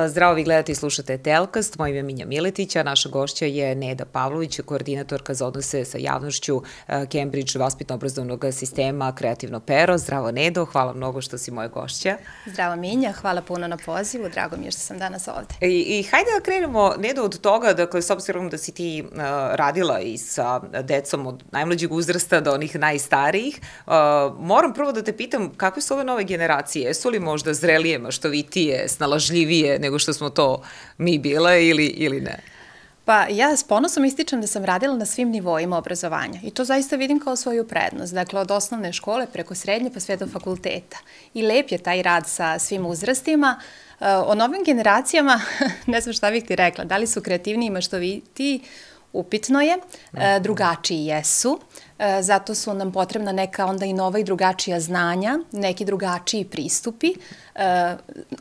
Zdravo, vi gledate i slušate Telkast, moje ime je Minja Miletić, a naša gošća je Neda Pavlović, koordinatorka za odnose sa javnošću Cambridge vaspitno-obrazovnog sistema Kreativno pero. Zdravo, Nedo, hvala mnogo što si moja gošća. Zdravo, Minja, hvala puno na pozivu, drago mi je što sam danas ovde. I hajde da krenemo, Nedo, od toga, dakle, s obzirom da si ti radila i sa decom od najmlađeg uzrasta do onih najstarijih, moram prvo da te pitam kakve su ove nove generacije, jesu li možda zrelije, maštovitije, snalažljivije nego što smo to mi bile ili ne? Pa ja s ponosom ističem da sam radila na svim nivoima obrazovanja i to zaista vidim kao svoju prednost. Dakle, od osnovne škole preko srednje pa sve do fakulteta. I lep je taj rad sa svim uzrastima. O novim generacijama, ne znam šta bih ti rekla, da li su kreativniji i maštovitiji, upitno je, drugačiji jesu, zato su nam potrebna neka onda i nova i drugačija znanja, neki drugačiji pristupi.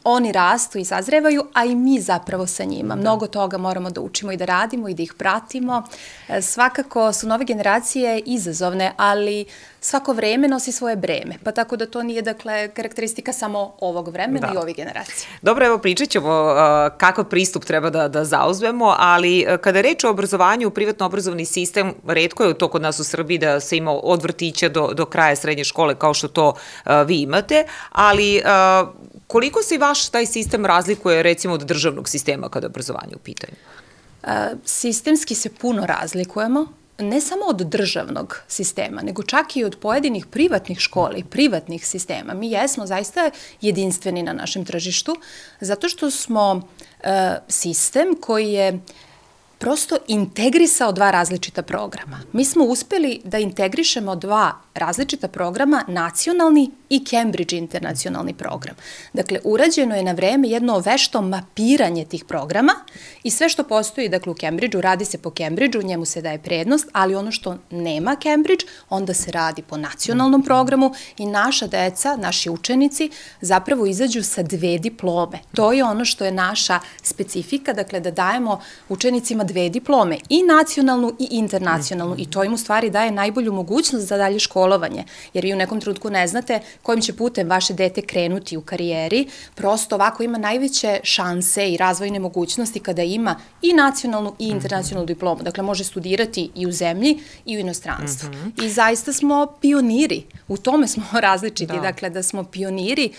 Oni rastu i sazrevaju, a i mi zapravo sa njima. Mnogo toga moramo da učimo i da radimo i da ih pratimo. Svakako su nove generacije izazovne, ali svako vreme nosi svoje breme, pa tako da to nije, dakle, karakteristika samo ovog vremena i ovih generacija. Dobro, evo pričat ćemo kakav pristup treba da zauzmemo, ali kada je reč o obrazovanju, privatno obrazovni sistem, retko je to kod nas u Srbiji da se ima od vrtića do kraja srednje škole kao što to vi imate, ali koliko se i vaš taj sistem razlikuje recimo od državnog sistema kada je obrazovanje u pitanju? Sistemski se puno razlikujemo, ne samo od državnog sistema, nego čak i od pojedinih privatnih škola i privatnih sistema. Mi jesmo zaista jedinstveni na našem tržištu, zato što smo sistem koji je prosto integrisao dva različita programa. Mi smo uspeli da integrišemo dva različita programa, nacionalni i Cambridge internacionalni program. Dakle, urađeno je na vreme jedno vešto mapiranje tih programa i sve što postoji, dakle, u Cambridgeu, radi se po Cambridgeu, njemu se daje prednost, ali ono što nema Cambridge, onda se radi po nacionalnom programu i naša deca, naši učenici, zapravo izađu sa dve diplome. To je ono što je naša specifika, dakle, da dajemo učenicima dve diplome, i nacionalnu i internacionalnu, i to im u stvari daje najbolju mogućnost za dalje školovanje, jer vi u nekom trenutku ne znate kojim će putem vaše dete krenuti u karijeri, prosto ovako ima najveće šanse i razvojne mogućnosti kada ima i nacionalnu i internacionalnu diplomu. Dakle, može studirati i u zemlji i u inostranstvu. I zaista smo pioniri, u tome smo različiti, dakle, da smo pioniri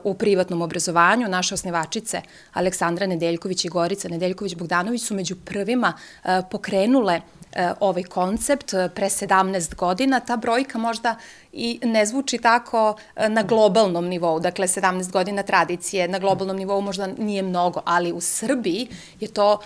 u privatnom obrazovanju. Naše osnivačice Aleksandra Nedeljković i Gorica Nedeljković-Bogdanović su među prvima pokrenule ovaj koncept pre 17 godina. Ta brojka možda i ne zvuči tako na globalnom nivou, dakle 17 godina tradicije na globalnom nivou možda nije mnogo, ali u Srbiji je to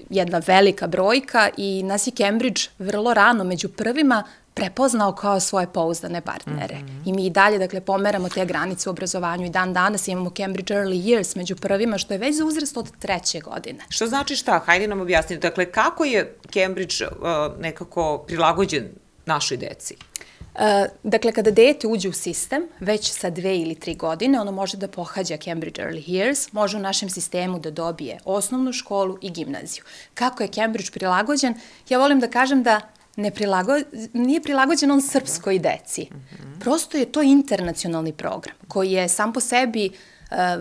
jedna velika brojka i nas je Cambridge vrlo rano među prvima prepoznao kao svoje pouzdane partnere. I mi i dalje, dakle, pomeramo te granice u obrazovanju i dan danas imamo Cambridge Early Years među prvima, što je već za uzrast od 3. godine. Što znači šta? Hajde nam objasniti. Dakle, kako je Cambridge nekako prilagođen našoj deci? Dakle, kada dete uđe u sistem, već sa 2 ili 3 godine, ono može da pohađa Cambridge Early Years, može u našem sistemu da dobije osnovnu školu i gimnaziju. Kako je Cambridge prilagođen? Ja volim da kažem da nije prilagođen on srpskoj deci. Prosto je to internacionalni program koji je sam po sebi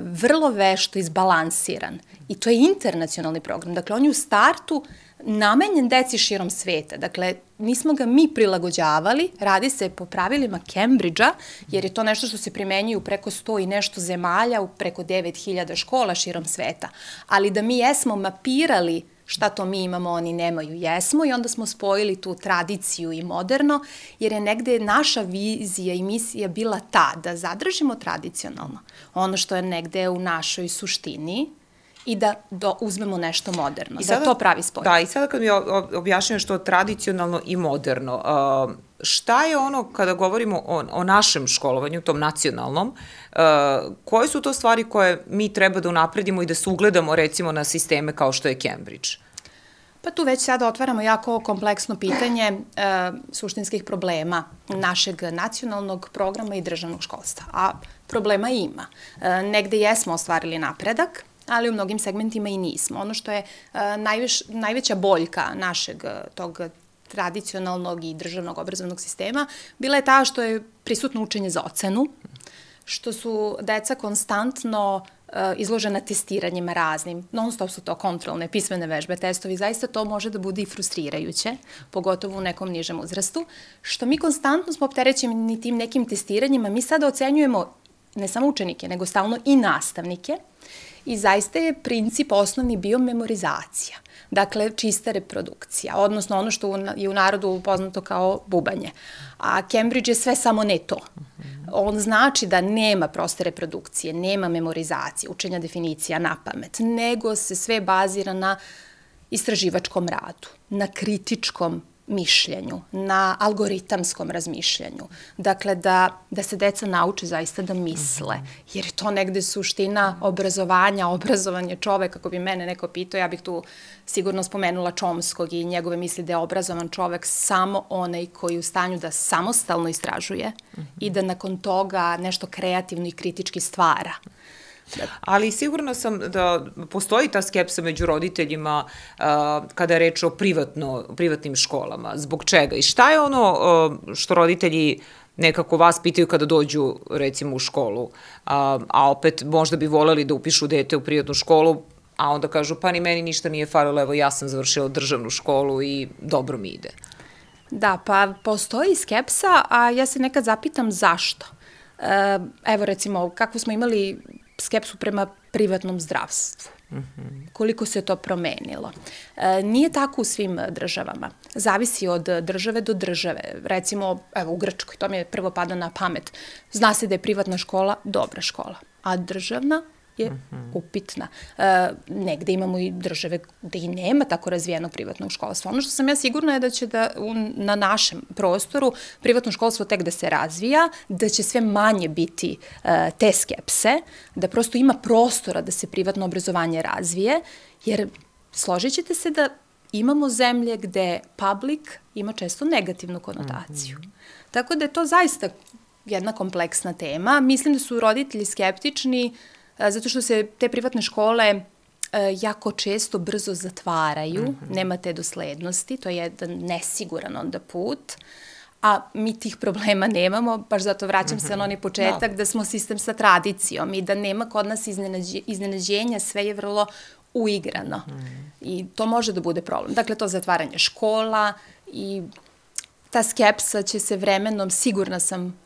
vrlo vešto izbalansiran. I to je internacionalni program. Dakle, on je u startu namenjen deci širom sveta. Dakle, nismo ga mi prilagođavali, radi se po pravilima Cambridgea, jer je to nešto što se primenjuje u preko 100 i nešto zemalja, u preko 9000 škola širom sveta. Ali da mi jesmo mapirali šta to mi imamo, oni nemaju, jesmo, i onda smo spojili tu tradiciju i moderno, jer je negde naša vizija i misija bila ta da zadržimo tradicionalno ono što je negde u našoj suštini i da uzmemo nešto moderno, da to pravi spoj. Da, i sada kad mi objašnjam što je tradicionalno i moderno, šta je ono kada govorimo o našem školovanju, tom nacionalnom, koje su to stvari koje mi treba da unapredimo i da se ugledamo recimo na sisteme kao što je Cambridge? Pa tu već sada otvaramo jako kompleksno pitanje suštinskih problema našeg nacionalnog programa i državnog školstva, a problema ima. Negde jesmo ostvarili napredak, ali u mnogim segmentima i nismo. Ono što je najveća boljka našeg tog tradicionalnog i državnog obrazovnog sistema bila je ta što je prisutno učenje za ocenu, što su deca konstantno izložena testiranjima raznim. Non stop su to kontrolne, pismene vežbe, testovi. Zaista to može da bude i frustrirajuće, pogotovo u nekom nižem uzrastu. Što mi konstantno smo opterećeni tim nekim testiranjima, mi sada ocenjujemo ne samo učenike, nego stalno i nastavnike. I zaista je princip osnovni bio memorizacija. Dakle, čista reprodukcija, odnosno ono što je u narodu poznato kao bubanje. A Cambridge je sve samo ne to. On znači da nema proste reprodukcije, nema memorizacije, učenja definicija na pamet, nego se sve bazira na istraživačkom radu, na kritičkom mišljenju, na algoritamskom razmišljanju. Dakle, da se deca nauče zaista da misle, jer je to negde suština obrazovanja, obrazovanje čoveka. Ako bi mene neko pitao, ja bih tu sigurno spomenula Chomskog i njegove misli da je obrazovan čovek samo onaj koji je u stanju da samostalno istražuje i da nakon toga nešto kreativno i kritički stvara. Ali sigurno sam da postoji ta skepsa među roditeljima kada je reč o privatnim školama. Zbog čega? I šta je ono što roditelji nekako vas pitaju kada dođu recimo u školu, a opet možda bi voleli da upišu dete u privatnu školu, a onda kažu pa ni meni ništa nije falilo, evo ja sam završila državnu školu i dobro mi ide. Da, pa postoji skepsa, a ja se nekad zapitam zašto. Evo recimo, kako smo imali skepsu prema privatnom zdravstvu. Koliko se to promenilo. Nije tako u svim državama. Zavisi od države do države. Recimo, evo u Grčkoj, to mi je prvo pada na pamet. Zna se da je privatna škola dobra škola, a državna je upitna. Negde imamo i države gde i nema tako razvijenog privatnog školstva. Ono što sam ja sigurna je da će na našem prostoru privatno školstvo tek da se razvija, da će sve manje biti te skepse, da prosto ima prostora da se privatno obrazovanje razvije, jer složit ćete se da imamo zemlje gde public ima često negativnu konotaciju. Tako da je to zaista jedna kompleksna tema. Mislim da su roditelji skeptični zato što se te privatne škole jako često brzo zatvaraju, nema te doslednosti, to je jedan nesiguran onda put, a mi tih problema nemamo, baš zato vraćam se na onaj početak da smo sistem sa tradicijom i da nema kod nas iznenađenja, sve je vrlo uigrano i to može da bude problem. Dakle, to zatvaranje škola i ta skepsa će se vremenom, sigurna sam,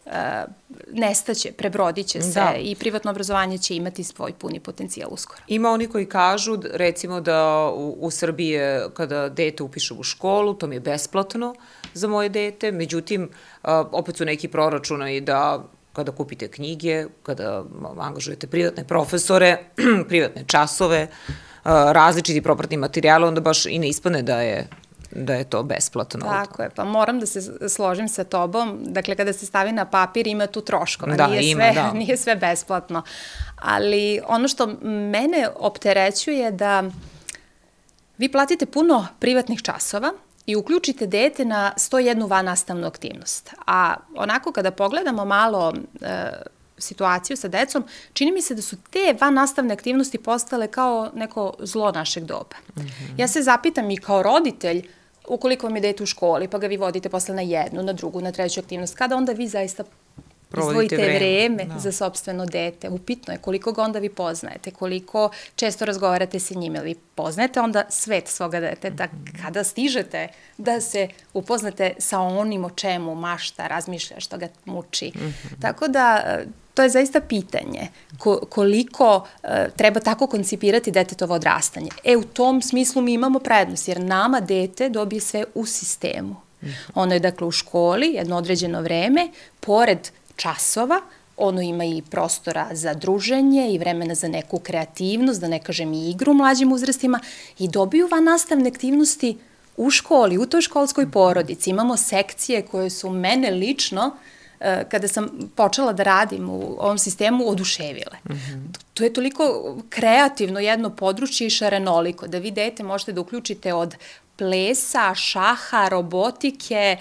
nestaće, prebrodit će se i privatno obrazovanje će imati svoj puni potencijal uskoro. Ima oni koji kažu, recimo da u Srbiji kada dete upiše u školu, to mi je besplatno za moje dete, međutim, opet su neki proračunaju da kada kupite knjige, kada angažujete privatne profesore, privatne časove, različiti propratni materijal, onda baš i ne ispane da je to besplatno. Tako je, pa moram da se složim sa tobom. Dakle, kada se stavi na papir, ima tu troškova. Nije sve besplatno. Ali ono što mene opterećuje da vi platite puno privatnih časova i uključite dete na 101 vannastavnu aktivnost. A onako kada pogledamo malo situaciju sa decom, čini mi se da su te vannastavne aktivnosti postale kao neko zlo našeg doba. Ja se zapitam i kao roditelj, ukoliko vam je dete u školi, pa ga vi vodite posle na jednu, na drugu, na treću aktivnost, kada onda vi zaista izdvojite vreme za sopstveno dete. Upitno je koliko ga onda vi poznajete, koliko često razgovarate sa njime, vi poznajete onda svet svoga deteta, kada stižete da se upoznate sa onim o čemu mašta, razmišlja, što ga muči. Tako da to je zaista pitanje koliko treba tako koncipirati detetovo odrastanje. U tom smislu mi imamo prednost, jer nama dete dobije sve u sistemu. Ono je dakle u školi jedno određeno vreme, pored časova, ono ima i prostora za druženje i vremena za neku kreativnost, da ne kažem i igru u mlađim uzrastima i dobiju vannastavne aktivnosti u školi, u toj školskoj porodici. Imamo sekcije koje su mene lično, kada sam počela da radim u ovom sistemu, oduševile. To je toliko kreativno jedno područje i šarenoliko, da vi dete možete da uključite od plesa, šaha, robotike,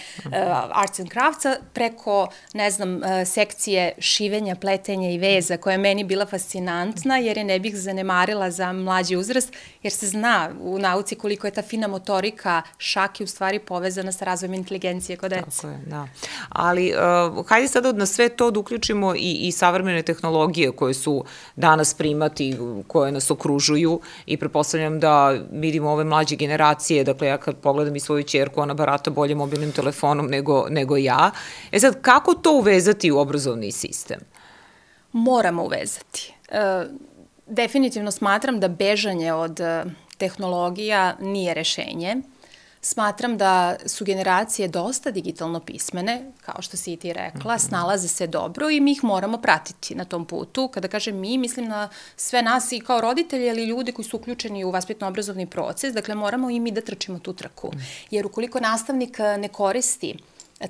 arts and craftsa, preko, ne znam, sekcije šivenja, pletenja i veza, koja je meni bila fascinantna, jer je ne bih zanemarila za mlađi uzrast, jer se zna u nauci koliko je ta fina motorika šake u stvari povezana sa razvojem inteligencije kod dece. Tako je, da. Ali, hajde sada na sve to da uključimo i savremene tehnologije koje su danas primati, koje nas okružuju i pretpostavljam da vidimo ove mlađe generacije, dakle ja kad pogledam i svoju ćerku, ona barata bolje mobilnim telefonom nego ja. Sad, kako to uvezati u obrazovni sistem? Moramo uvezati. Definitivno smatram da bežanje od tehnologija nije rešenje. Smatram da su generacije dosta digitalno pismene, kao što si i ti rekla, snalaze se dobro i mi ih moramo pratiti na tom putu. Kada kažem mi, mislim na sve nas i kao roditelji, ali i ljudi koji su uključeni u vaspitno-obrazovni proces, dakle moramo i mi da trčimo tu trku. Jer ukoliko nastavnik ne koristi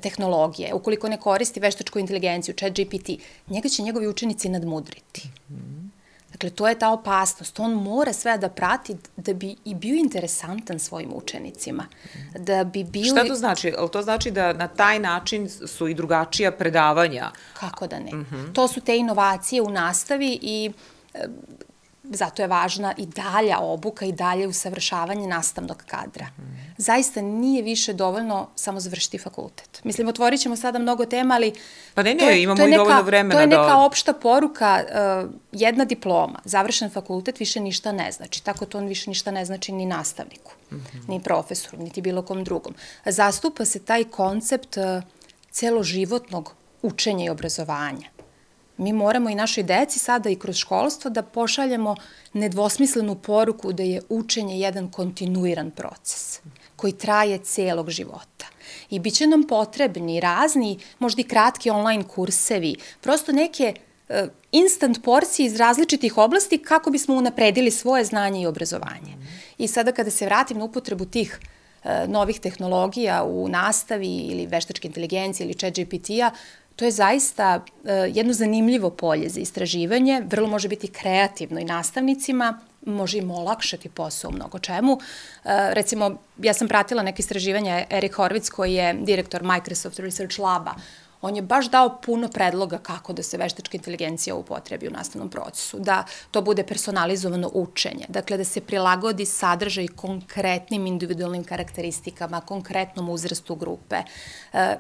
tehnologije, ukoliko ne koristi veštačku inteligenciju, ChatGPT, njega će njegovi učenici nadmudriti. Dakle, to je ta opasnost. On mora sve da prati da bi i bio interesantan svojim učenicima. Da bi bio... Šta to znači? To znači da na taj način su i drugačija predavanja? Kako da ne. To su te inovacije u nastavi i zato je važna i dalja obuka i dalje usavršavanje nastavnog kadra. Zaista nije više dovoljno samo završiti fakultet. Mislim, otvorit ćemo sada mnogo tema, ali... Pa ne, imamo i dovoljno vremena da... To je neka opšta poruka, jedna diploma, završen fakultet više ništa ne znači. Tako to on više ništa ne znači ni nastavniku, ni profesoru, niti bilo kom drugom. Zastupa se taj koncept celoživotnog učenja i obrazovanja. Mi moramo i našoj deci sada i kroz školstvo da pošaljemo nedvosmislenu poruku da je učenje jedan kontinuiran proces koji traje celog života. I bit će nam potrebni razni, možda i kratki online kursevi, prosto neke instant porcije iz različitih oblasti kako bismo unapredili svoje znanje i obrazovanje. I sada kada se vratim na upotrebu tih novih tehnologija u nastavi ili veštačke inteligencije ili ChatGPT-a, to je zaista jedno zanimljivo polje za istraživanje, vrlo može biti kreativno i nastavnicima, može im olakšati posao u mnogo čemu. Recimo, ja sam pratila neke istraživanja, Erik Horvitz koji je direktor Microsoft Research Laba, on je baš dao puno predloga kako da se veštačka inteligencija upotrebi u nastavnom procesu, da to bude personalizovano učenje, dakle da se prilagodi sadržaj konkretnim individualnim karakteristikama, konkretnom uzrastu grupe.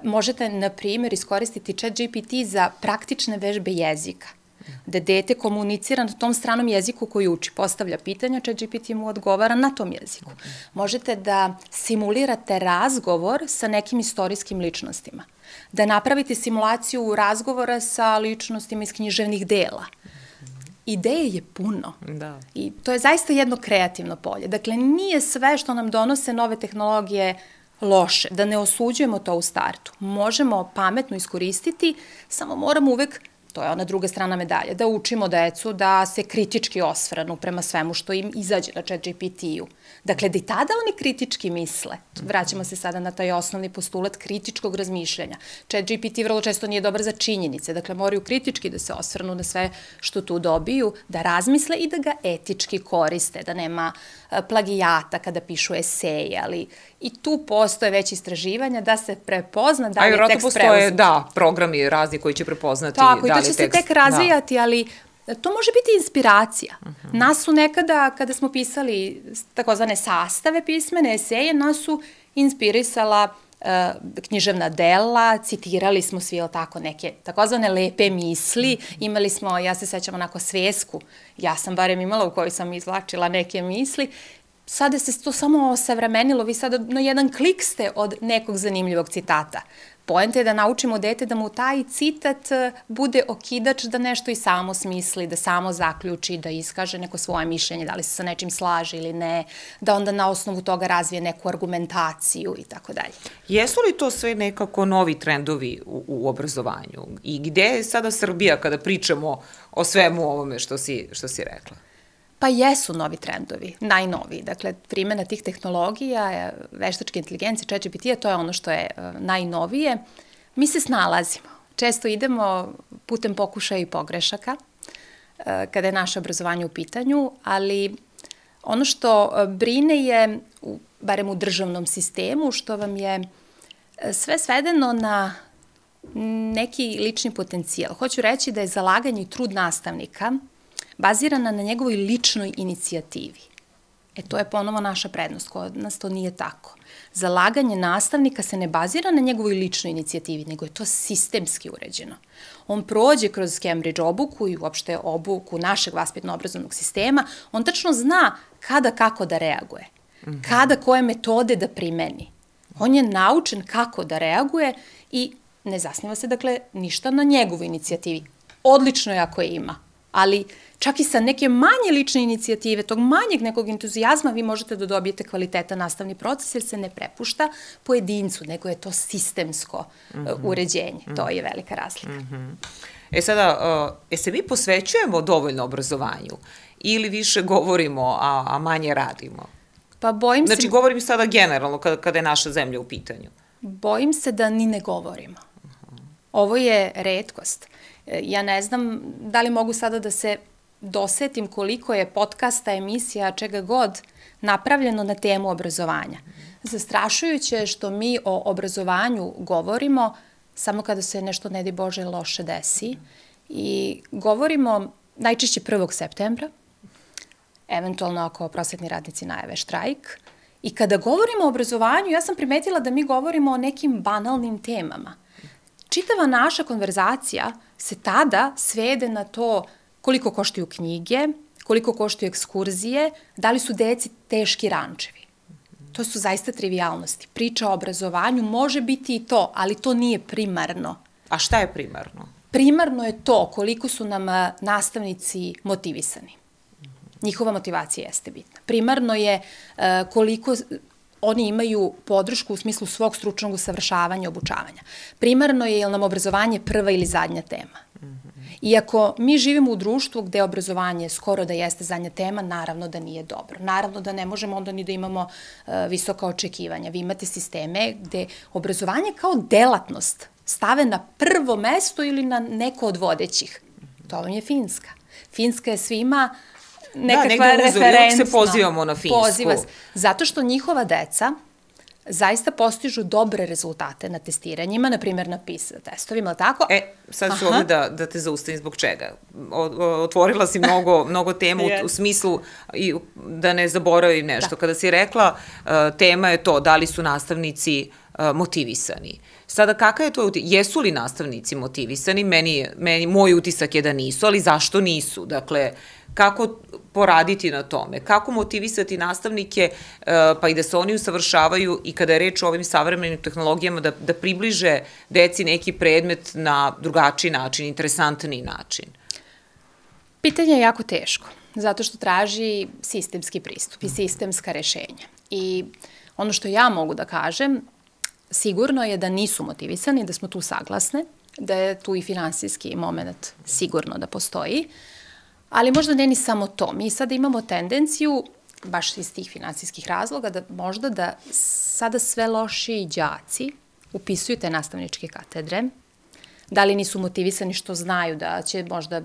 Možete, na primjer, iskoristiti ChatGPT za praktične vežbe jezika, da dete komunicira na tom stranom jeziku koji uči, postavlja pitanja, ChatGPT mu odgovara na tom jeziku. Možete da simulirate razgovor sa nekim istorijskim ličnostima, da napravite simulaciju razgovora sa ličnostima iz književnih dela. Ideje je puno. Da. I to je zaista jedno kreativno polje. Dakle, nije sve što nam donose nove tehnologije loše, da ne osuđujemo to u startu. Možemo pametno iskoristiti, samo moramo uvek, to je ona druga strana medalje, da učimo decu da se kritički osvrnu prema svemu što im izađe na ChatGPT-u. Dakle, da i tada oni kritički misle. Vraćamo se sada na taj osnovni postulat kritičkog razmišljanja. ChatGPT vrlo često nije dobar za činjenice, dakle moraju kritički da se osvrnu na sve što tu dobiju, da razmisle i da ga etički koriste, da nema plagijata kada pišu eseje, ali i tu postoje već istraživanja da se prepozna da li je tekst preuzet. Postoje, da, programi razni koji će prepoznati da li je tekst. Tako, i to će se tek razvijati, ali to može biti inspiracija. Nas su nekada, kada smo pisali takozvane sastave pismene, eseje, nas su inspirisala književna dela, citirali smo svi tako neke takozvane lepe misli, imali smo, ja se sećam onako svesku, ja sam barem imala u kojoj sam izvlačila neke misli, sada se to samo osavremenilo, vi sada na jedan klik ste od nekog zanimljivog citata. Poenta je da naučimo dete da mu taj citat bude okidač da nešto i samo smisli, da samo zaključi, da iskaže neko svoje mišljenje, da li se sa nečim slaže ili ne, da onda na osnovu toga razvije neku argumentaciju i tako dalje. Jesu li to sve nekako novi trendovi u obrazovanju? I gde je sada Srbija kada pričamo o svemu ovome što si rekla? Pa jesu novi trendovi, najnoviji. Dakle, primjena tih tehnologija, veštačke inteligencije, ChatGPT-a, to je ono što je najnovije. Mi se snalazimo. Često idemo putem pokušaja i pogrešaka kada je naše obrazovanje u pitanju, ali ono što brine je barem u državnom sistemu, što vam je sve svedeno na neki lični potencijal. Hoću reći da je zalaganje i trud nastavnika bazirana na njegovoj ličnoj inicijativi. To je ponovo naša prednost, kod nas to nije tako. Zalaganje nastavnika se ne bazira na njegovoj ličnoj inicijativi, nego je to sistemski uređeno. On prođe kroz Cambridge obuku i uopšte obuku našeg vaspitno-obrazovnog sistema, on tačno zna kada kako da reaguje, kada koje metode da primeni. On je naučen kako da reaguje i ne zasniva se, dakle, ništa na njegovoj inicijativi. Odlično je ako je ima, ali čak i sa neke manje lične inicijative, tog manjeg nekog entuzijazma, vi možete da dobijete kvalitetan nastavni proces, jer se ne prepušta pojedincu, nego je to sistemsko uređenje. To je velika razlika. Sada, se mi posvećujemo dovoljno obrazovanju ili više govorimo, a manje radimo? Pa bojim se... Znači, govorim sada generalno kada je naša zemlja u pitanju. Bojim se da ni ne govorimo. Ovo je retkost. Ja ne znam da li mogu sada da se dosetim koliko je podcasta, emisija, čega god napravljeno na temu obrazovanja. Zastrašujuće je što mi o obrazovanju govorimo samo kada se nešto, ne daj Bože, loše desi i govorimo najčešće 1. septembra, eventualno ako prosvetni radnici najave štrajk. I kada govorimo o obrazovanju, ja sam primetila da mi govorimo o nekim banalnim temama. Čitava naša konverzacija se tada svede na to koliko koštaju knjige, koliko koštaju ekskurzije, da li su deci teški rančevi. To su zaista trivijalnosti. Priča o obrazovanju može biti i to, ali to nije primarno. A šta je primarno? Primarno je to koliko su nam nastavnici motivisani. Njihova motivacija jeste bitna. Primarno je koliko oni imaju podršku u smislu svog stručnog usavršavanja i obučavanja. Primarno je nam obrazovanje prva ili zadnja tema. Iako mi živimo u društvu gde obrazovanje skoro da jeste zadnja tema, naravno da nije dobro. Naravno da ne možemo onda ni da imamo visoka očekivanja. Vi imate sisteme gde obrazovanje kao delatnost stave na prvo mesto ili na neko od vodećih. To vam je Finska. Finska je svima nekakva referentna. Da, negde se pozivamo na Finsku. Zato što njihova deca zaista postižu dobre rezultate na testiranjima, na primjer na PISA testovima, ali tako? Sad ću ovdje da te zaustavim zbog čega. Otvorila si mnogo tema u smislu da ne zaboravim nešto. Kada si rekla, tema je to da li su nastavnici motivisani. Sada, kakav je to utisak? Jesu li nastavnici motivisani? Moj utisak je da nisu, ali zašto nisu? Dakle, kako poraditi na tome? Kako motivisati nastavnike, pa i da se oni usavršavaju i kada je reč o ovim savremenim tehnologijama, da približe deci neki predmet na drugačiji način, interesantniji način? Pitanje je jako teško, zato što traži sistemski pristup i sistemska rešenja. I ono što ja mogu da kažem, sigurno je da nisu motivisani, da smo tu saglasne, da je tu i finansijski moment sigurno da postoji, ali možda ne ni samo to. Mi sada imamo tendenciju, baš iz tih finansijskih razloga, da možda da sada sve lošiji đaci upisuju te nastavničke katedre, da li nisu motivisani što znaju da će možda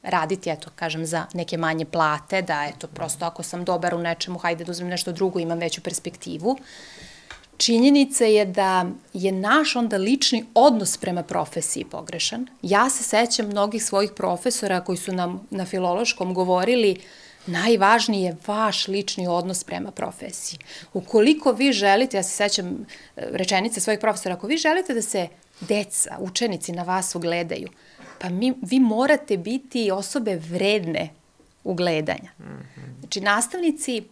raditi, eto, kažem, za neke manje plate, da, eto, prosto ako sam dobar u nečemu, hajde da uzmem nešto drugo, imam veću perspektivu. Činjenica je da je naš onda lični odnos prema profesiji pogrešan. Ja se sećam mnogih svojih profesora koji su nam na filološkom govorili najvažniji je vaš lični odnos prema profesiji. Ukoliko vi želite, ja se sećam rečenice svojih profesora, ako vi želite da se deca, učenici na vas ugledaju, pa vi morate biti osobe vredne ugledanja. Znači, nastavnici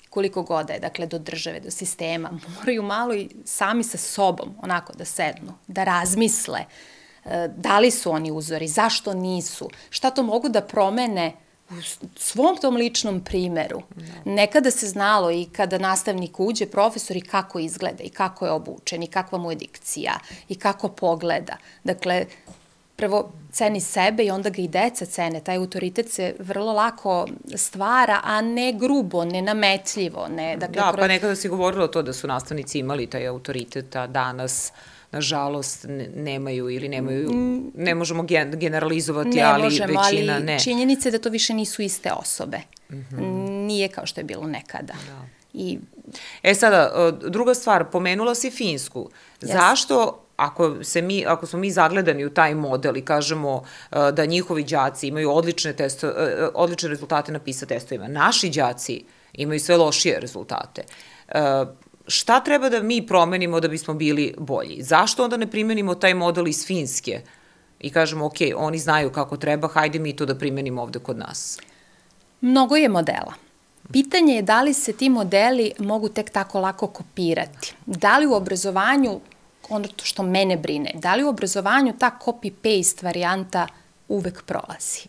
koliko god da je, dakle, do države, do sistema, moraju malo i sami sa sobom, onako, da sednu, da razmisle da li su oni uzori, zašto nisu, šta to mogu da promene u svom tom ličnom primeru. Nekada se znalo i kada nastavnik uđe, profesor, i kako izgleda, i kako je obučen, i kakva mu je dikcija, i kako pogleda. Dakle, prvo ceni sebe i onda ga i deca cene. Taj autoritet se vrlo lako stvara, a ne grubo, ne nametljivo. Da, pa nekada si govorila to da su nastavnici imali taj autoritet, a danas, nažalost, nemaju ili nemaju, ne možemo generalizovati, ali većina ne. Ali činjenica je da to više nisu iste osobe. Nije kao što je bilo nekada. Sada, druga stvar, pomenula si Finsku. Zašto, ako smo mi zagledani u taj model i kažemo da njihovi đaci imaju odlične rezultate na PISA testovima, naši đaci imaju sve lošije rezultate, šta treba da mi promenimo da bismo bili bolji? Zašto onda ne primenimo taj model iz Finske i kažemo, ok, oni znaju kako treba, hajde mi to da primenimo ovde kod nas? Mnogo je modela. Pitanje je da li se ti modeli mogu tek tako lako kopirati. Da li u obrazovanju, ono što mene brine, da li u obrazovanju ta copy-paste varijanta uvek prolazi?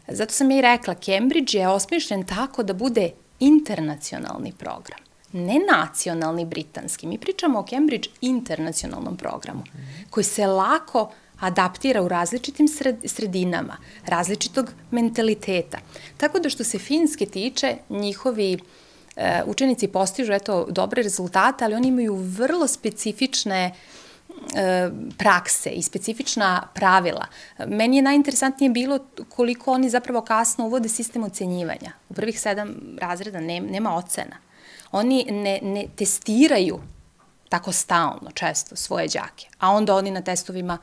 Zato sam ja i rekla, Cambridge je osmišljen tako da bude internacionalni program, ne nacionalni britanski. Mi pričamo o Cambridge internacionalnom programu, koji se lako adaptira u različitim sredinama, različitog mentaliteta. Tako da što se Finske tiče, njihovi učenici postižu dobre rezultate, ali oni imaju vrlo specifične prakse i specifična pravila. Meni je najinteresantnije bilo koliko oni zapravo kasno uvode sistem ocenjivanja. U prvih 7 razreda nema ocena. Oni ne testiraju tako stalno, često, svoje đake, a onda oni na testovima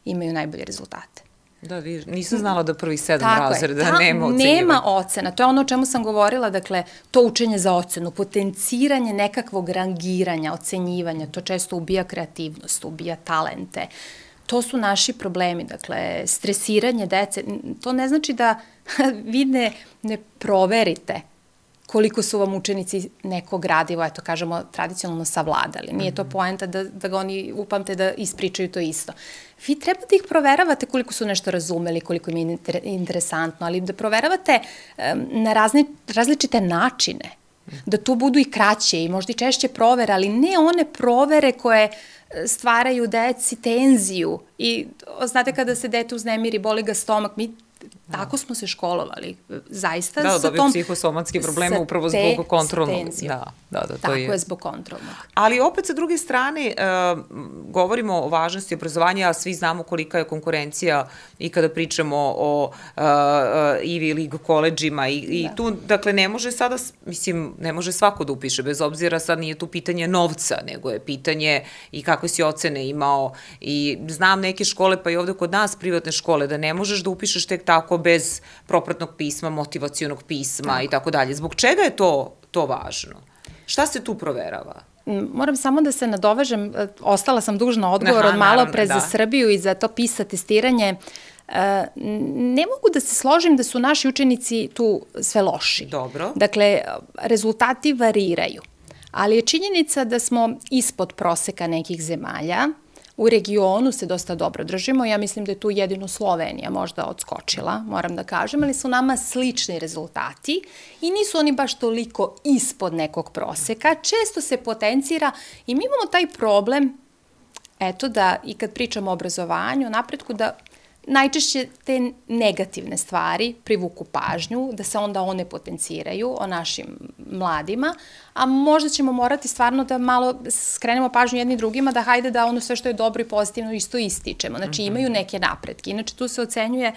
imaju najbolje rezultate. Da, nisam znala da prvih 7 razreda nema ocenjivanja. Nema ocena, to je ono o čemu sam govorila, dakle, to učenje za ocenu, potenciranje nekakvog rangiranja, ocenjivanja, to često ubija kreativnost, ubija talente. To su naši problemi, dakle, stresiranje dece, to ne znači da vi ne proverite koliko su vam učenici neko gradivo, eto kažemo, tradicionalno savladali. Nije to poenta da ga oni upamte da ispričaju to isto. Vi treba da ih proveravate koliko su nešto razumeli, koliko im je interesantno, ali da proveravate na različite načine, da to budu i kraće i možda i češće provere, ali ne one provere koje stvaraju deci tenziju i znate kada se dete uznemiri, boli ga stomak, mi tako smo se školovali, zaista sa tom... Da, dobiju psihosomatske probleme upravo zbog kontrolnog. Tako je, zbog kontrolnog. Ali opet sa druge strane, govorimo o važnosti obrazovanja, a svi znamo kolika je konkurencija i kada pričamo o Ivy League koleđima i tu, dakle, ne može sada, mislim, ne može svako da upiše, bez obzira sad nije tu pitanje novca, nego je pitanje i kakve si ocene imao i znam neke škole, pa i ovde kod nas privatne škole, da ne možeš da upišeš tek tako bez propratnog pisma, motivacionog pisma i tako dalje. Zbog čega je to važno? Šta se tu proverava? Moram samo da se nadovežem, ostala sam dužna odgovor od malo pre za Srbiju i za to PISA testiranje. Ne mogu da se složim da su naši učenici tu sve loši. Dobro. Dakle, rezultati variraju, ali je činjenica da smo ispod proseka nekih zemalja. U regionu se dosta dobro držimo, ja mislim da je tu jedino Slovenija možda odskočila, moram da kažem, ali su nama slični rezultati i nisu oni baš toliko ispod nekog proseka, često se potencira i mi imamo taj problem, eto da i kad pričamo o obrazovanju, o napretku, da najčešće te negativne stvari privuku pažnju, da se onda one potenciraju o našim mladima, a možda ćemo morati stvarno da malo skrenemo pažnju jedni drugima, da hajde da ono sve što je dobro i pozitivno isto ističemo. Znači imaju neke napretke. Inače tu se ocenjuje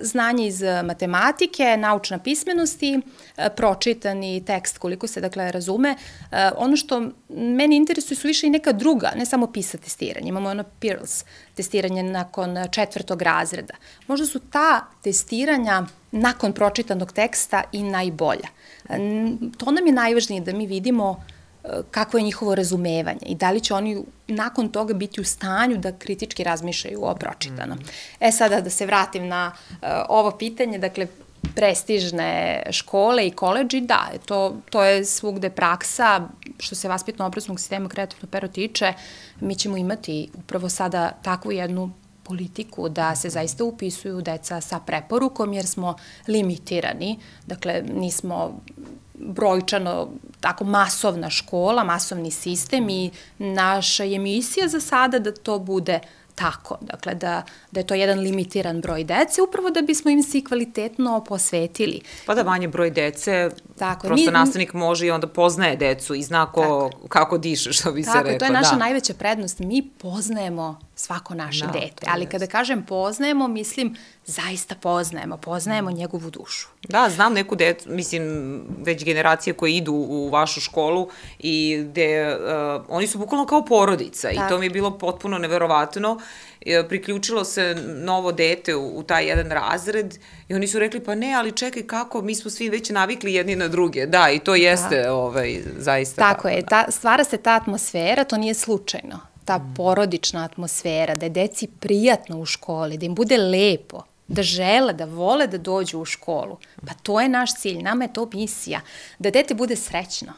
znanje iz matematike, naučna pismenosti, pročitani tekst koliko se dakle razume. Ono što meni interesuje su više i neka druga, ne samo PISA testiranje. Imamo ono PIRLS testiranje nakon 4. razreda. Možda su ta testiranja nakon pročitanog teksta i najbolja. To nam je najvažnije da mi vidimo kako je njihovo razumevanje i da li će oni nakon toga biti u stanju da kritički razmišljaju o pročitanom. Sada da se vratim na ovo pitanje, dakle, prestižne škole i koleđi, da, to je svugde praksa. Što se vaspitno-obrazovnog sistema Kreativno pero tiče, mi ćemo imati upravo sada takvu jednu politiku da se zaista upisuju deca sa preporukom jer smo limitirani, dakle nismo brojčano tako masovna škola, masovni sistem i naša je misija za sada da to bude tako, dakle da je to jedan limitiran broj dece, upravo da bismo im se kvalitetno posvetili. Pa da manje broj dece, prosto nastavnik može i onda poznaje decu i zna kako diše, što bi se rekao. Tako, to je naša najveća prednost, mi poznajemo svako naše dete. Ali kada kažem poznajemo, mislim zaista poznajemo njegovu dušu. Da, znam neku decu, mislim, već generacije koje idu u vašu školu i gde oni su bukvalno kao porodica i to mi je bilo potpuno neverovatno. Priključilo se novo dete u taj jedan razred i oni su rekli, pa ne, ali čekaj kako, mi smo svi već navikli jedni na druge. Da, i to jeste zaista tako. Tako je, stvara se ta atmosfera, to nije slučajno. Ta porodična atmosfera, da je deci prijatno u školi, da im bude lepo, da žele, da vole da dođu u školu. Pa to je naš cilj, nama je to misija. Da dete bude srećno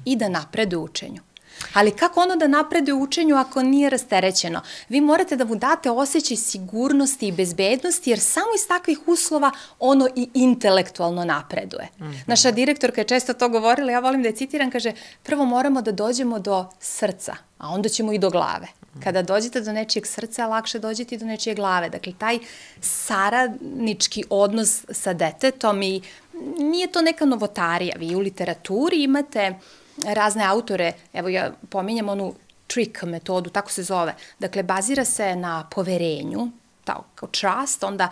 i da napreduje u učenju. Ali kako ono da napreduje u učenju ako nije rasterećeno? Vi morate da mu date osjećaj sigurnosti i bezbednosti, jer samo iz takvih uslova ono i intelektualno napreduje. Naša direktorka je često to govorila, ja volim da je citiram, kaže, prvo moramo da dođemo do srca, a onda ćemo i do glave. Kada dođete do nečijeg srca, lakše dođete i do nečije glave. Dakle, taj saradnički odnos sa detetom i nije to neka novotarija. Vi u literaturi imate razne autore, evo ja pominjam onu trick metodu, tako se zove. Dakle, bazira se na poverenju, kao trust, onda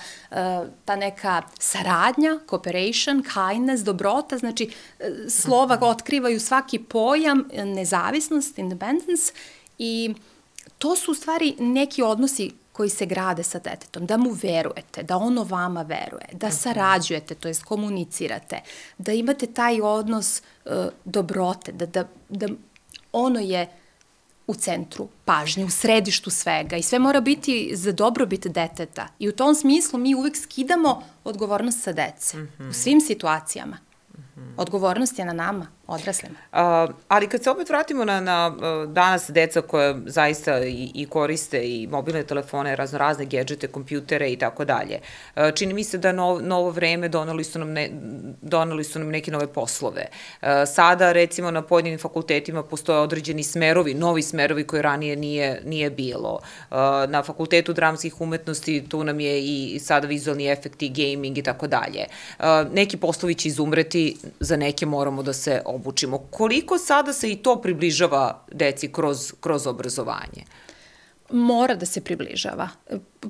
ta neka saradnja, cooperation, kindness, dobrota, znači slova otkrivaju svaki pojam, nezavisnost, independence i to su u stvari neki odnosi koji se grade sa detetom, da mu verujete, da ono vama veruje, da sarađujete, to jest komunicirate, da imate taj odnos dobrote, da ono je u centru pažnje, u središtu svega i sve mora biti za dobrobit deteta. I u tom smislu mi uvek skidamo odgovornost sa dece u svim situacijama. Odgovornost je na nama, odraslima. Ali kad se opet vratimo na danas deca koja zaista i koriste i mobilne telefone, raznorazne gedžete, kompjutere i tako dalje, čini mi se da novo vreme doneli su nam neke nove poslove. Sada, recimo, na pojedinim fakultetima postoje određeni smerovi, novi smerovi koje ranije nije bilo. Na Fakultetu dramskih umetnosti tu nam je i sada vizualni efekti, gaming i tako dalje. Neki poslovi će izumreti, za neke moramo da se obučimo. Koliko sada se i to približava deci kroz obrazovanje? Mora da se približava.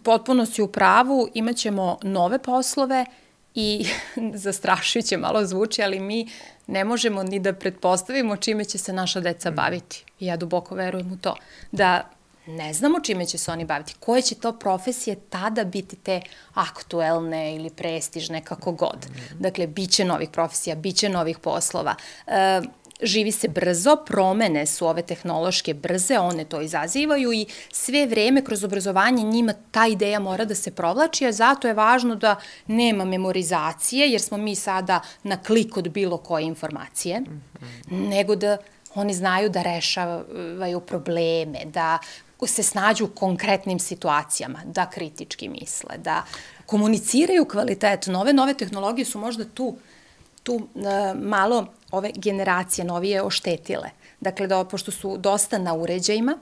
Potpuno si u pravu, imaćemo nove poslove i zastrašujuće malo zvuči, ali mi ne možemo ni da pretpostavimo čime će se naša deca baviti. Ja duboko verujem u to. Da ne znamo čime će se oni baviti. Koje će to profesije tada biti te aktuelne ili prestižne, kako god. Dakle, bit će novih profesija, bit će novih poslova. Živi se brzo, promene su ove tehnološke brze, one to izazivaju i sve vreme kroz obrazovanje njima ta ideja mora da se provlači, a zato je važno da nema memorizacije, jer smo mi sada na klik od bilo koje informacije, nego da oni znaju da rešavaju probleme, da se snađu u konkretnim situacijama, da kritički misle, da komuniciraju kvalitetno. Ove nove tehnologije su možda tu malo ove generacije novije oštetile. Dakle, pošto su dosta na uređajima,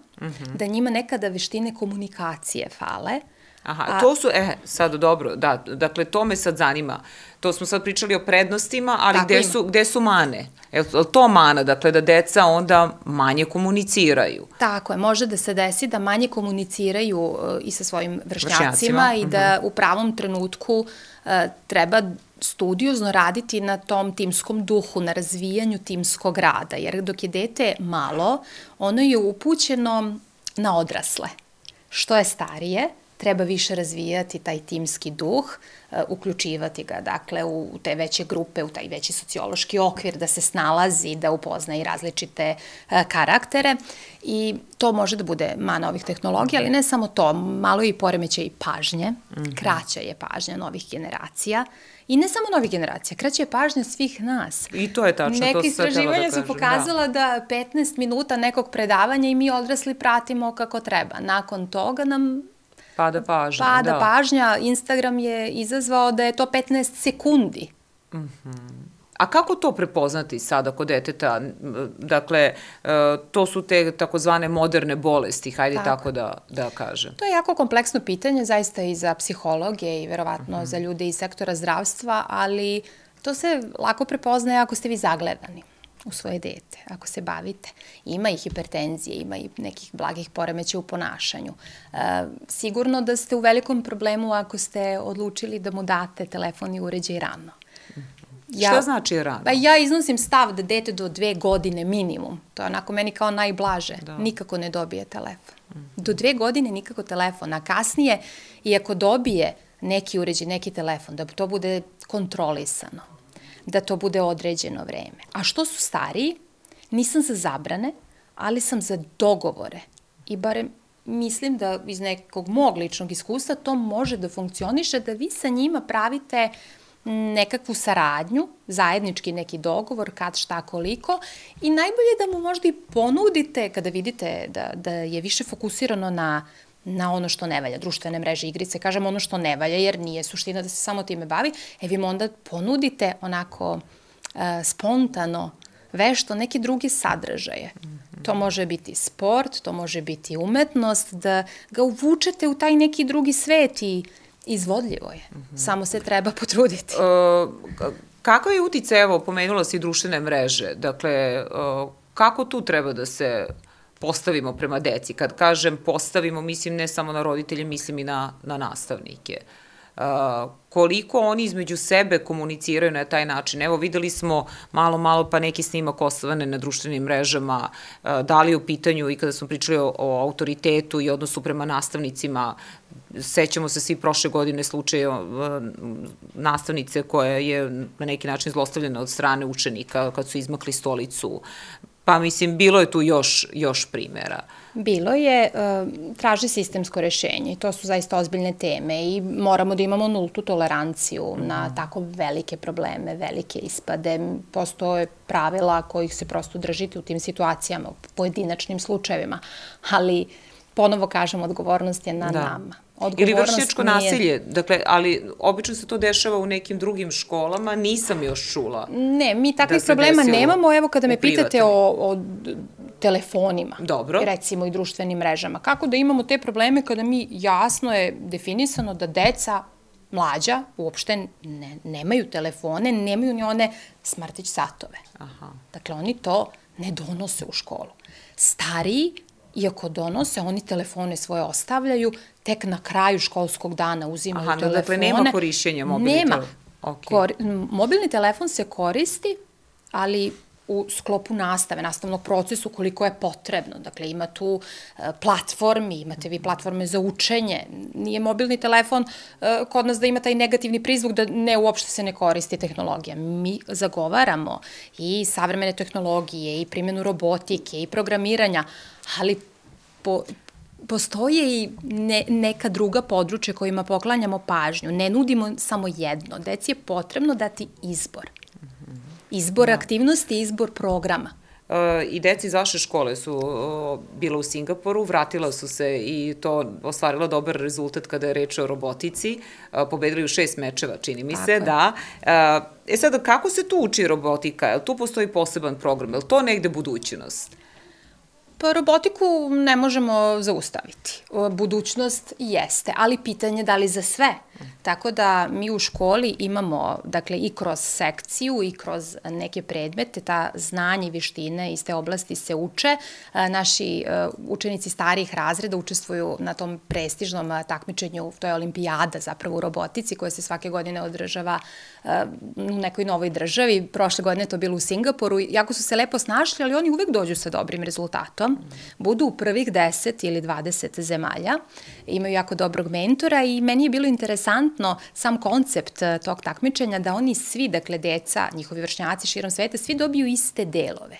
da njima nekada veštine komunikacije fale. Aha, to su, sad dobro, da, dakle, to me sad zanima. To smo sad pričali o prednostima, ali gde su mane? Je li to mana, dakle, da deca onda manje komuniciraju? Tako je, može da se desi da manje komuniciraju i sa svojim vršnjacima i da u pravom trenutku treba studiozno raditi na tom timskom duhu, na razvijanju timskog rada, jer dok je dete malo, ono je upućeno na odrasle. Što je starije, treba više razvijati taj timski duh, uključivati ga, dakle, u te veće grupe, u taj veći sociološki okvir, da se snalazi, da upozna i različite karaktere i to može da bude mana ovih tehnologija, ali ne samo to, malo je i poremećaj i pažnje, kraća je pažnja novih generacija. I ne samo novih generacija, kraća je pažnja svih nas. I to je tačno, to se htjela da kažem. Neke istraživanja su pokazala da 15 minuta nekog predavanja i mi odrasli pratimo kako treba. Nakon toga nam pada pažnja, pada pažnja. Instagram je izazvao da je to 15 sekundi. A kako to prepoznati sada kod deteta? Dakle, to su te takozvane moderne bolesti, hajde tako da kažem. To je jako kompleksno pitanje, zaista i za psihologe i verovatno za ljude iz sektora zdravstva, ali to se lako prepoznaje ako ste vi zagledani. u svoje dete, ako se bavite. Ima i hipertenzije, ima i nekih blagih poremećaja u ponašanju. Sigurno da ste u velikom problemu ako ste odlučili da mu date telefon i uređaj rano. Šta znači rano? Pa ja iznosim stav da dete do 2 godine minimum, to je onako meni kao najblaže, nikako ne dobije telefon. Do 2 godine nikako telefon, a kasnije, i ako dobije neki uređaj, neki telefon, da to bude kontrolisano, da to bude određeno vreme. A što su stariji, nisam za zabrane, ali sam za dogovore. I barem mislim da iz nekog mog ličnog iskustva to može da funkcioniše, da vi sa njima pravite nekakvu saradnju, zajednički neki dogovor, kad, šta, koliko, i najbolje da mu možda i ponudite, kada vidite da je više fokusirano na ono što ne valja, društvene mreže, igrice, kažem ono što ne valja, jer nije suština da se samo time bavi, vi mu onda ponudite onako spontano, vešto, neke druge sadržaje. To može biti sport, to može biti umetnost, da ga uvučete u taj neki drugi svet i izvodljivo je. Samo se treba potruditi. Kakav je uticaj, evo, pomenula si društvene mreže, dakle, kako tu treba da se postavimo prema deci? Kad kažem postavimo, mislim ne samo na roditelje, mislim i na nastavnike. Koliko oni između sebe komuniciraju na taj način? Evo, videli smo malo pa neki snimak ostvane na društvenim mrežama, da li je u pitanju i kada smo pričali o autoritetu i odnosu prema nastavnicima, sećamo se svi prošle godine slučaja nastavnice koja je na neki način zlostavljena od strane učenika kad su izmakli stolicu. Pa mislim, bilo je tu još primera. Bilo je, traži sistemsko rešenje i to su zaista ozbiljne teme i moramo da imamo nultu toleranciju na tako velike probleme, velike ispade. Postoje pravila kojih se prosto držite u tim situacijama, u pojedinačnim slučajevima, ali ponovo kažem, odgovornost je na nama. Ili vršnjačko nasilje, dakle, ali obično se to dešava u nekim drugim školama, nisam još čula. Ne, mi takvih problema nemamo, evo kada me pitate o telefonima, recimo i društvenim mrežama. Kako da imamo te probleme kada mi jasno je definisano da deca mlađa uopšte nemaju telefone, nemaju ni one smartić satove. Dakle, oni to ne donose u školu. Stariji, iako donose, oni telefone svoje ostavljaju, tek na kraju školskog dana uzimaju telefone. Dakle, nema korišćenja mobilnih telefona? Nema. Mobilni telefon se koristi, ali u sklopu nastave, nastavnog procesu, koliko je potrebno. Dakle, ima tu platformi, imate vi platforme za učenje. Nije mobilni telefon kod nas da ima taj negativni prizvuk da uopšte se ne koristi tehnologija. Mi zagovaramo i savremene tehnologije, i primjenu robotike, i programiranja, ali postoje i neka druga područja kojima poklanjamo pažnju. Ne nudimo samo jedno. Deci je potrebno dati izbor. Izbor aktivnosti, izbor programa. I deci iz vaše škole su bila u Singapuru, vratila su se i to ostvarila dobar rezultat kada je reč o robotici. Pobedili u 6 mečeva, čini mi se, da. Sada, kako se tu uči robotika? Tu postoji poseban program, je li to negde budućnost? Pa robotiku ne možemo zaustaviti. Budućnost jeste, ali pitanje da li za sve. Tako da mi u školi imamo, dakle, i kroz sekciju i kroz neke predmete, ta znanja i vištine iz te oblasti se uče. Naši učenici starijih razreda učestvuju na tom prestižnom takmičenju, to je olimpijada zapravo u robotici koja se svake godine održava u nekoj novoj državi. Prošle godine je to bilo u Singapuru. Jako su se lepo snašli, ali oni uvek dođu sa dobrim rezultatom. Budu u prvih 10 ili 20 zemalja. Imaju jako dobrog mentora i meni je bilo interesantno sam koncept tog takmičenja da oni svi, dakle deca, njihovi vršnjaci širom sveta, svi dobiju iste delove.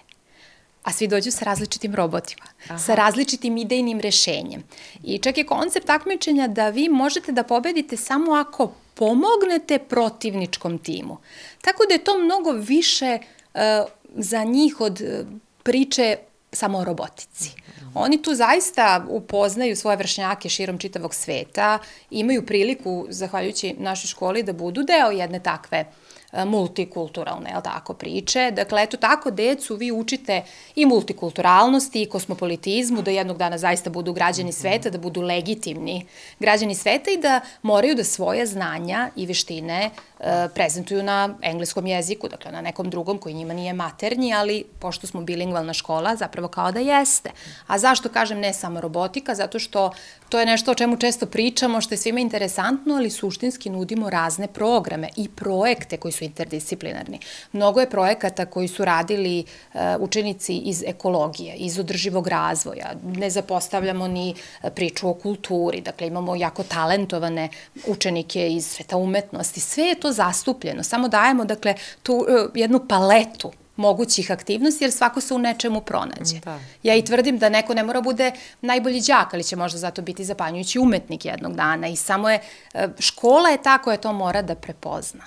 A svi dođu sa različitim robotima, sa različitim idejnim rešenjem. I čak je koncept takmičenja da vi možete da pobedite samo ako pomognete protivničkom timu. Tako da je to mnogo više za njih od priče samo o robotici. Oni tu zaista upoznaju svoje vršnjake širom čitavog sveta, imaju priliku, zahvaljujući našoj školi, da budu deo jedne takve multikulturalne, jel tako, priče. Dakle, eto tako decu vi učite i multikulturalnosti, i kosmopolitizmu, da jednog dana zaista budu građani sveta, da budu legitimni građani sveta i da moraju da svoje znanja i veštine prezentuju na engleskom jeziku, dakle na nekom drugom koji njima nije maternji, ali pošto smo bilingvalna škola, zapravo kao da jeste. A zašto kažem ne samo robotika? Zato što to je nešto o čemu često pričamo, što je svima interesantno, ali suštinski nudimo razne programe i projekte koji su interdisciplinarni. Mnogo je projekata koji su radili učenici iz ekologije, iz održivog razvoja. Ne zapostavljamo ni priču o kulturi, dakle imamo jako talentovane učenike iz sveta umetnosti. Sve je to zastupljeno, samo dajemo, dakle, tu jednu paletu mogućih aktivnosti, jer svako se u nečemu pronađe. Ja i tvrdim da neko ne mora bude najbolji đak, ali će možda zato biti zapanjujući umetnik jednog dana i samo je, škola je ta koja to mora da prepozna.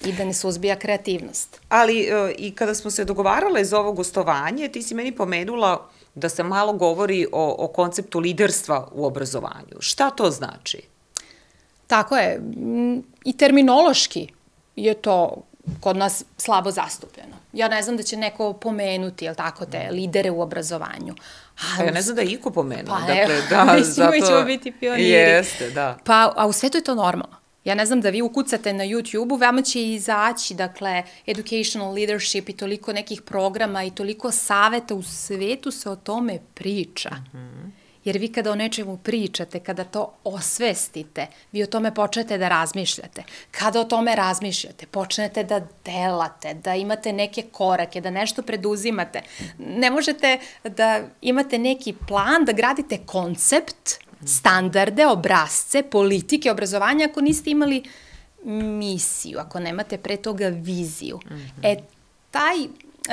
I da ne suzbija kreativnost. Ali i kada smo se dogovarale za ovo gostovanje, ti si meni pomenula da se malo govori o konceptu liderstva u obrazovanju. Šta to znači? Tako je. I terminološki je to kod nas slabo zastupljeno. Ja ne znam da će neko pomenuti, jel tako, te lidere u obrazovanju. Ja ne znam da je iko pomenuo. Pa evo, mislim mi ćemo biti pioniri. Jeste, da. Pa, a u svetu je to normalno. Ja ne znam da vi ukucate na YouTube-u, veoma će izaći, dakle, educational leadership i toliko nekih programa i toliko saveta u svetu se o tome priča. Jer vi kada o nečemu pričate, kada to osvestite, vi o tome počnete da razmišljate. Kada o tome razmišljate, počnete da delate, da imate neke korake, da nešto preduzimate. Ne možete da imate neki plan, da gradite koncept, standarde, obrazce, politike, obrazovanja, ako niste imali misiju, ako nemate pre toga viziju. Taj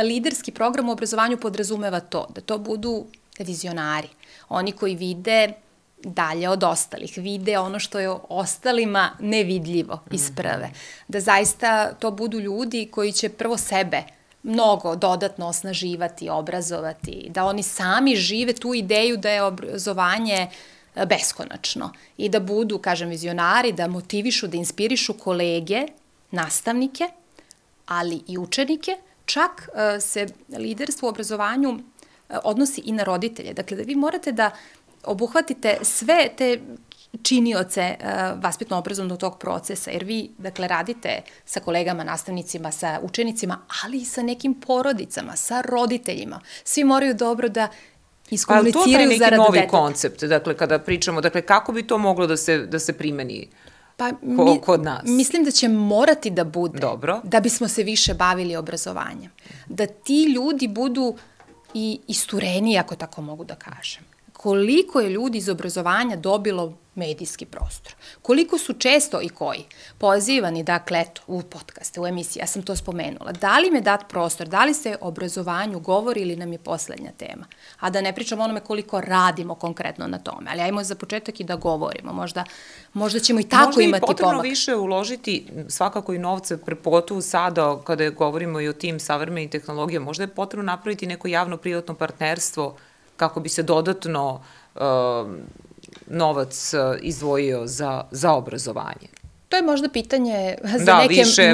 liderski program u obrazovanju podrazumeva to, da to budu vizionari. Oni koji vide dalje od ostalih, vide ono što je ostalima nevidljivo iz prve. Da zaista to budu ljudi koji će prvo sebe mnogo dodatno osnaživati, obrazovati, da oni sami žive tu ideju da je obrazovanje beskonačno i da budu, kažem, vizionari, da motivišu, da inspirišu kolege, nastavnike, ali i učenike. Čak se liderstvo u obrazovanju odnosi i na roditelje. Dakle, da vi morate da obuhvatite sve te činioce vaspitno-obrazovnog tog procesa, jer vi, dakle, radite sa kolegama, nastavnicima, sa učenicima, ali i sa nekim porodicama, sa roditeljima. Svi moraju dobro da iskomuniciraju zarad deteta. Ali to je neki novi koncept, dakle, kada pričamo, dakle, kako bi to moglo da se primeni kod nas? Mislim da će morati da bude, da bismo se više bavili obrazovanjem. Da ti ljudi budu i istureniji, ako tako mogu da kažem. Koliko je ljudi iz obrazovanja dobilo medijski prostor. Koliko su često i koji pozivani, dakle, eto, u podcaste, u emisiji, ja sam to spomenula. Da li im je dat prostor, da li se o obrazovanju govori ili nam je poslednja tema? A da ne pričamo onome koliko radimo konkretno na tome, ali ajmo za početak i da govorimo. Možda ćemo i tako imati pomak. Možda je potrebno više uložiti svakako i novce, pogotovo sada kada govorimo i o tim savremenim tehnologijama, možda je potrebno napraviti neko javno-privatno partnerstvo kako bi se dodatno novac izdvojio za obrazovanje. To je možda pitanje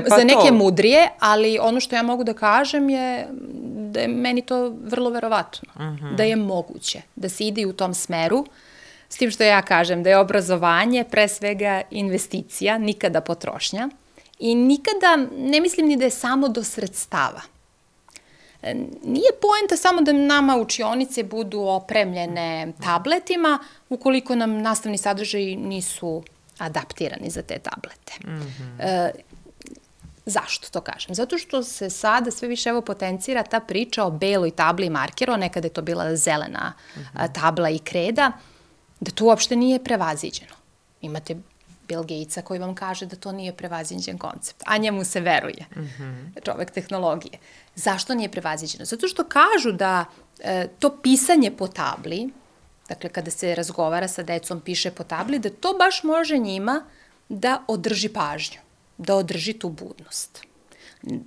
za neke mudrije, ali ono što ja mogu da kažem je da je meni to vrlo verovatno, da je moguće da se ide u tom smeru, s tim što ja kažem da je obrazovanje pre svega investicija, nikada potrošnja i nikada ne mislim ni da je samo do sredstava. Nije poenta samo da nama učionice budu opremljene tabletima ukoliko nam nastavni sadržaji nisu adaptirani za te tablete. Zašto to kažem? Zato što se sada sve više potencira ta priča o beloj tabli i markeru, nekada je to bila zelena tabla i kreda, da to uopšte nije prevaziđeno. Imate Bill Gatesa koji vam kaže da to nije prevaziđen koncept, a njemu se veruje, čovek tehnologije. Zašto nije prevaziđeno? Zato što kažu da to pisanje po tabli, dakle kada se razgovara sa decom, piše po tabli, da to baš može njima da održi pažnju, da održi tu budnost.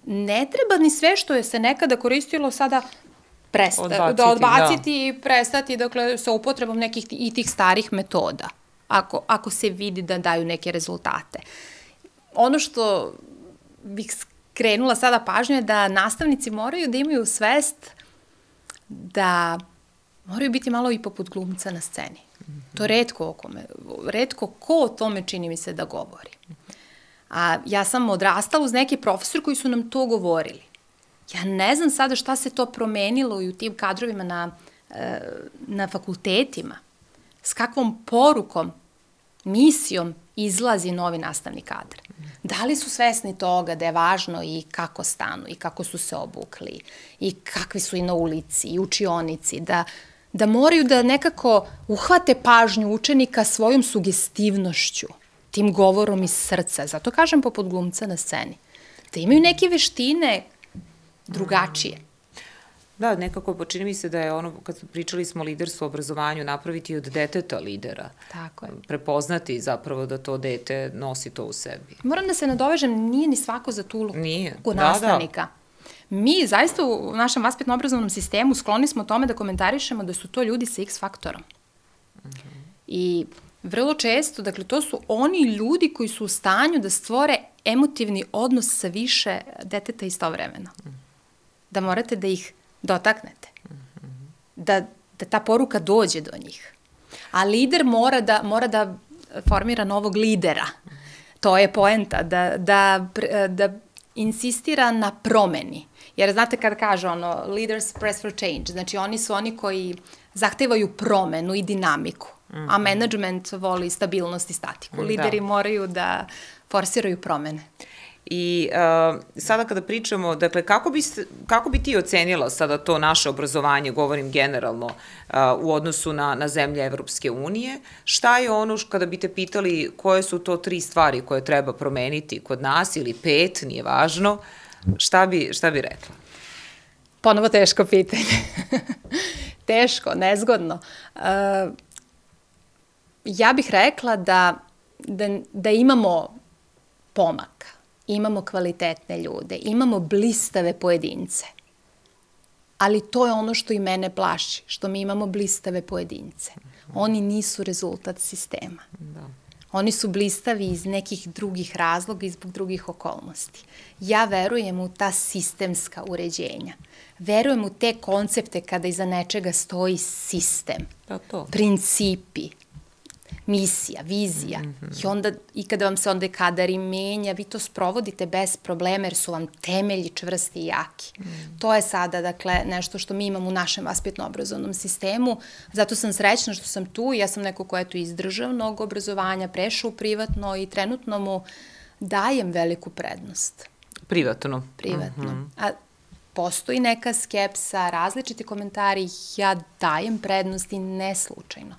Ne treba ni sve što je se nekada koristilo sada odbaciti i prestati, dakle, sa upotrebom nekih i tih starih metoda, ako se vidi da daju neke rezultate. Ono što bih skrenula sada pažnju je da nastavnici moraju da imaju svest da moraju biti malo i poput glumca na sceni. To retko ko o tome čini mi se da govori. A ja sam odrastala uz neke profesori koji su nam to govorili. Ja ne znam sada šta se to promenilo i u tim kadrovima na fakultetima. S kakvom porukom, misijom izlazi novi nastavni kadar. Da li su svesni toga da je važno i kako stanu, i kako su se obukli, i kakvi su i na ulici, i učionici, da moraju da nekako uhvate pažnju učenika svojom sugestivnošću, tim govorom iz srca. Zato kažem poput glumca na sceni. Da imaju neke veštine drugačije. Da, nekako čini mi se da je ono, kad pričali smo o liderstvu, obrazovanju, napraviti od deteta lidera. Tako je. Prepoznati zapravo da to dete nosi to u sebi. Moram da se nadovežem, nije ni svako za tu ulogu nastavnika. Mi zaista u našem vaspitno-obrazovnom sistemu skloni smo tome da komentarišemo da su to ljudi sa X faktorom. I vrlo često, dakle, to su oni ljudi koji su u stanju da stvore emotivni odnos sa više deteta istovremeno. Da morate da ih dotaknete. Da ta poruka dođe do njih. A lider mora da formira novog lidera. To je poenta, da insistira na promeni. Jer znate kada kaže leaders press for change, znači oni su oni koji zahtevaju promenu i dinamiku, a management voli stabilnost i statiku. Lideri moraju da forsiraju promene. I sada kada pričamo, dakle, kako bi ti ocenila sada to naše obrazovanje, govorim generalno, u odnosu na zemlje Evropske unije, šta je ono kada bi te pitali koje su to 3 stvari koje treba promeniti kod nas ili 5, nije važno, šta bi rekla? Ponovo teško pitanje. Teško, nezgodno. Ja bih rekla da imamo pomaka. Imamo kvalitetne ljude, imamo blistave pojedince. Ali to je ono što i mene plaši, što mi imamo blistave pojedince. Oni nisu rezultat sistema. Oni su blistavi iz nekih drugih razloga i zbog drugih okolnosti. Ja verujem u ta sistemska uređenja. Verujem u te koncepte kada iza nečega stoji sistem, principi, misija, vizija. I kada vam se onda kadar i menja, vi to sprovodite bez problema jer su vam temelji čvrsti i jaki. To je sada, dakle, nešto što mi imamo u našem vaspitno-obrazovnom sistemu. Zato sam srećna što sam tu. Ja sam neko ko je tu iz državnog obrazovanja, prešao u privatno i trenutno mu dajem veliku prednost. Privatno? Privatno. A postoji neka skepsa, različiti komentari, ja dajem prednost i ne slučajno.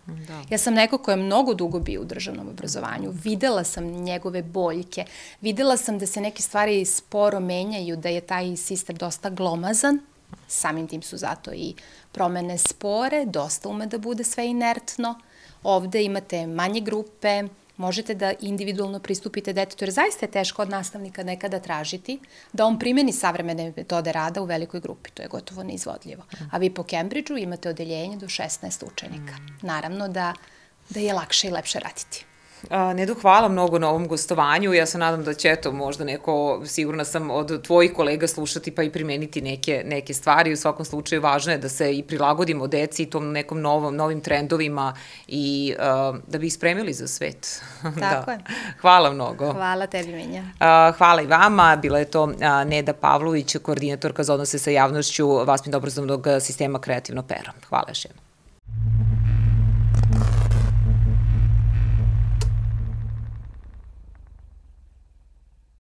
Ja sam neko ko je mnogo dugo bio u državnom obrazovanju, videla sam njegove boljke, videla sam da se neke stvari sporo menjaju, da je taj sistem dosta glomazan, samim tim su zato i promene spore, dosta ume da bude sve inertno, ovde imate manje grupe, možete da individualno pristupite detetu, jer zaista je teško od nastavnika nekada tražiti da on primeni savremene metode rada u velikoj grupi. To je gotovo neizvodljivo. A vi po Cambridgeu imate odeljenje do 16 učenika. Naravno da je lakše i lepše raditi. Nedo, hvala mnogo na ovom gostovanju. Ja se nadam da će, eto, možda neko, sigurna sam, od tvojih kolega slušati pa i primeniti neke stvari. U svakom slučaju važno je da se i prilagodimo deci i tom nekom novim trendovima i da bi ih spremili za svet. Tako je. Hvala mnogo. Hvala tebi, Minja. Hvala i vama. Bila je to Neda Pavlović, koordinatorka za odnose sa javnošću vaspitno-obrazovnog sistema Kreativno pero. Hvala još jednom.